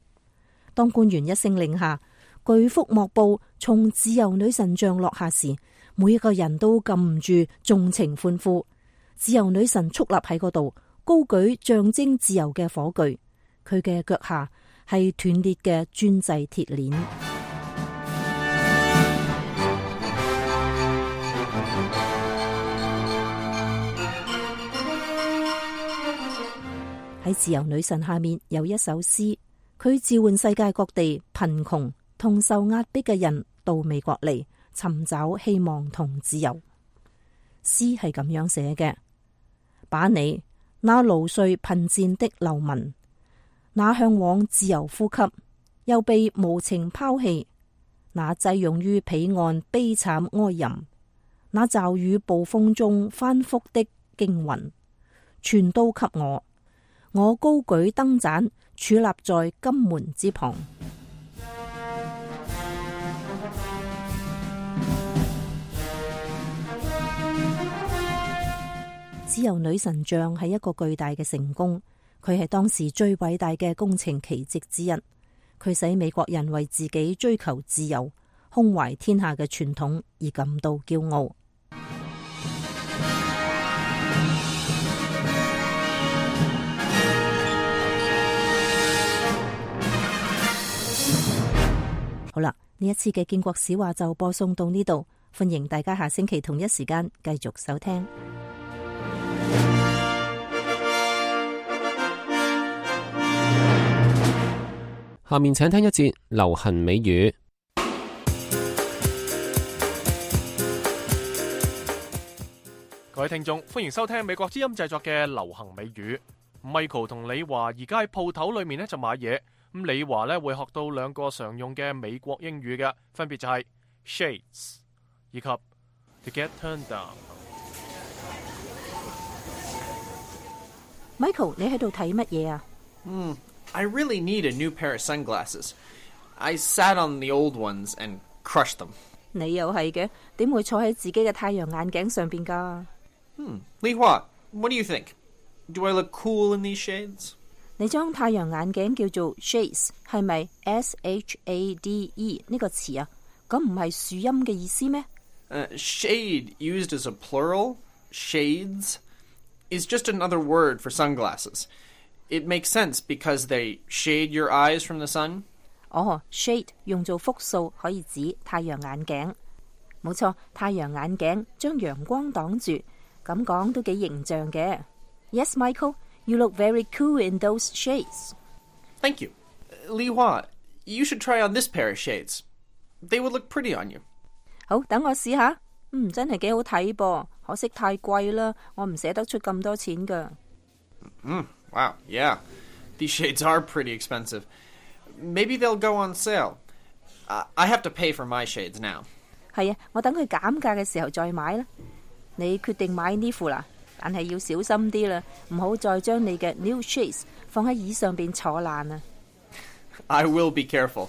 當官員一聲令下，巨幅幕布從自由女神像落下時，每一個人都禁唔住縱情歡呼。自由女神矗立喺嗰度，高舉象徵自由嘅火炬。佢嘅腳下係斷裂嘅專製鐵鏈。喺自由女神下面有一首詩，佢召喚世界各地貧窮同受壓迫嘅人到美國嚟尋找希望同自由。詩係咁樣寫嘅：把你那勞累貧賤的流民，那向往自由呼吸又被無情拋棄，那擠擁於彼岸悲慘哀吟，那驟雨暴風中翻覆的驚魂，全都給我。我高舉燈盞，矗立在金門之旁。自由女神像係一個巨大嘅成功。佢係當時最偉大嘅工程奇蹟之一，佢使美國人為自己追求自由、胸懷天下嘅傳統而感到驕傲。好啦，呢一次嘅建國史話就播送到呢度，歡迎大家下星期同一時間繼續收聽。下面請聽一節流行美語。各位聽眾，歡迎收聽美國之音製作嘅流行美語。Michael 同李華而家喺鋪頭裏面咧就買嘢，咁李華咧會學到兩個常用嘅美國英語嘅，分別就係 shades 以及 to get turned down。Michael， 你喺度睇乜嘢啊？嗯。I really need a new pair of sunglasses. I sat on the old ones and crushed them. 你又係嘅，點會坐喺自己嘅太陽眼鏡上邊噶？Hmm. Li Hua, what do you think? Do I look cool in these shades? 你將太陽眼鏡叫做 shades， 係咪 S H A D E 呢個詞啊？咁唔係樹蔭嘅意思咩？ Uh, shade used as a plural, shades, is just another word for sunglasses.It makes sense because they shade your eyes from the sun. 哦 shade 用做複數可以指太陽眼鏡。冇錯，太陽眼鏡將陽光擋住，咁講都幾形象嘅。Yes, Michael, you look very cool in those shades. Thank you. Li Hua, you should try on this pair of shades. They would look pretty on you. 好，等我試下。嗯，真係幾好睇噃，可惜太貴啦，我唔捨得出咁多錢㗎。Mm, wow, yeah. These shades are pretty expensive. Maybe they'll go on sale. Uh, I have to pay for my shades now. 係啊，我等佢減價嘅時候再買啦。你決定買呢副啦，但係要小心啲啦，唔好再將你嘅 new shades 放喺椅上邊坐爛啊。I will be careful.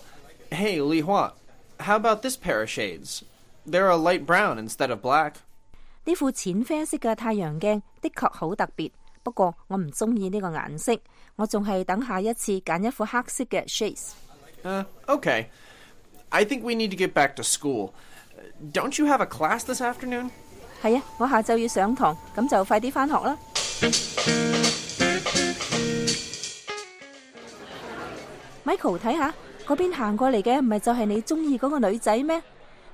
Hey, Li Hua, how about this pair of shades? They're a light brown instead of black. 呢副淺啡色嘅太陽鏡的確好特別，不過我唔中意呢個顏色，我仲係等下一次揀一副黑色嘅 shades。Uh, okay. I think we need to get back to school. Don't you have a class this afternoon? 係啊，我下晝要上堂，咁就快啲返學啦。Michael， 睇下嗰邊行過嚟嘅，唔係就係你中意嗰個女仔咩？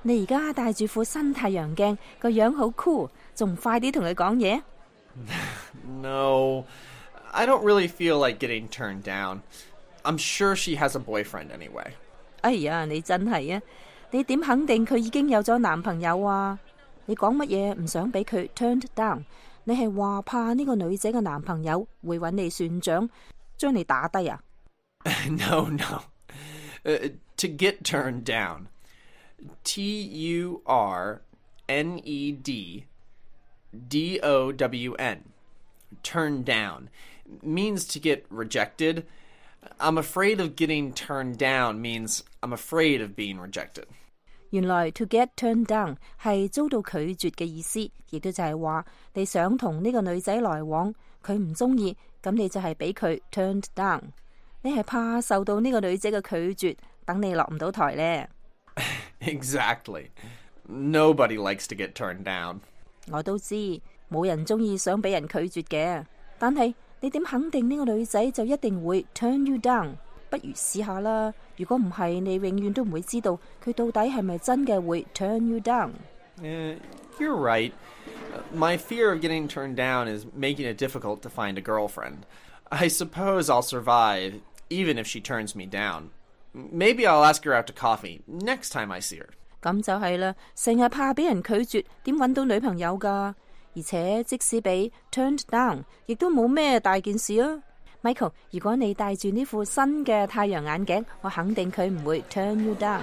你而家戴住副新太陽鏡，個樣好 cool， 仲唔快啲同佢講嘢？ No, I don't really feel like getting turned down. I'm sure she has a boyfriend anyway. 哎呀，你真係啊！你點肯定佢已經有咗男朋友啊？你講乜嘢唔想俾佢 turned down？ 你係話怕呢個女仔嘅男朋友會揾你算賬，將你打低啊？ No, no. Uh, to get turned down. T U R N E D D O W N. Turn down means to get rejected. I'm afraid of getting turned down means I'm afraid of being rejected. 原來 to get turned down 係遭到拒絕嘅意思，亦都就係話你想同呢個女仔來往，佢唔中意，咁你就係俾佢 turned down。你係怕受到呢個女仔嘅拒絕，等你落唔到台呢。Exactly. Nobody likes to get turned down. 我都知，冇人中意想俾人拒絕嘅，但係你點肯定呢個女仔就一定會 turn you down？ 不如試下啦。如果唔係，你永遠都唔會知道佢到底係咪真嘅會 turn you down。 Uh, you're right. My fear of getting turned down is making it difficult to find a girlfriend. I suppose I'll survive, even if she turns me down. Maybe I'll ask her out to coffee next time I see her. 咁就係啦，成日怕俾人拒絕，點搵到女朋友㗎？而且即使俾 turned down， 亦都冇咩大件事啊。Michael， 如果你戴住呢副新嘅太陽眼鏡，我肯定佢唔會 turn you down。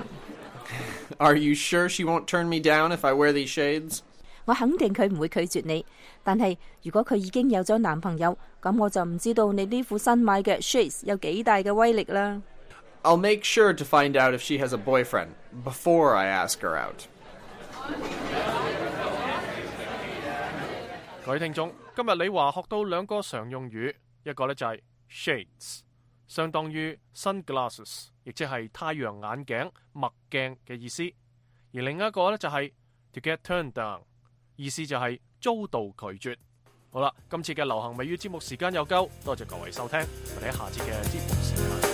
Are you sure she won't turn me down if I wear these shades? 我肯定佢唔會拒絕你，但係如果佢已經有咗男朋友，咁我就唔知道你呢副新買嘅 shades 有幾大嘅威力啦。I'll make sure to find out if she has a boyfriend before I ask her out. 各位聽眾，今日李華學到兩個常用語，一個呢就係 shades， 相當於 sunglasses， 亦即係太陽眼鏡、墨鏡嘅意思；而另一個呢就係 to get turned down， 意思就係遭到拒絕。好啦，今次嘅流行美語節目時間又夠，多謝各位收聽，我哋喺下次嘅節目時間再見。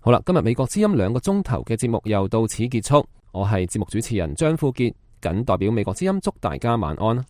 好啦，今日美國之音兩個鐘頭嘅節目又到此結束。我係節目主持人張富傑，謹代表美國之音祝大家晚安。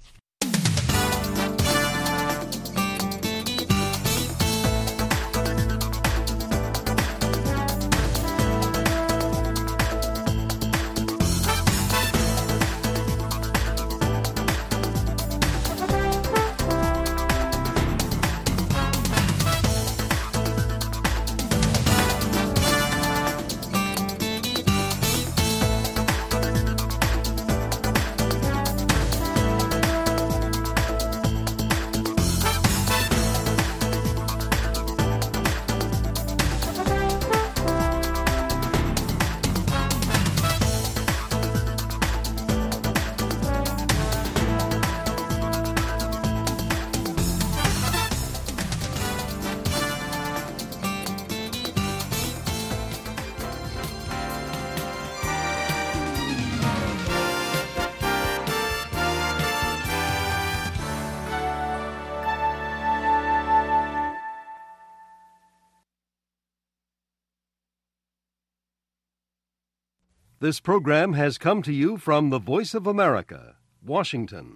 This program has come to you from the Voice of America, Washington.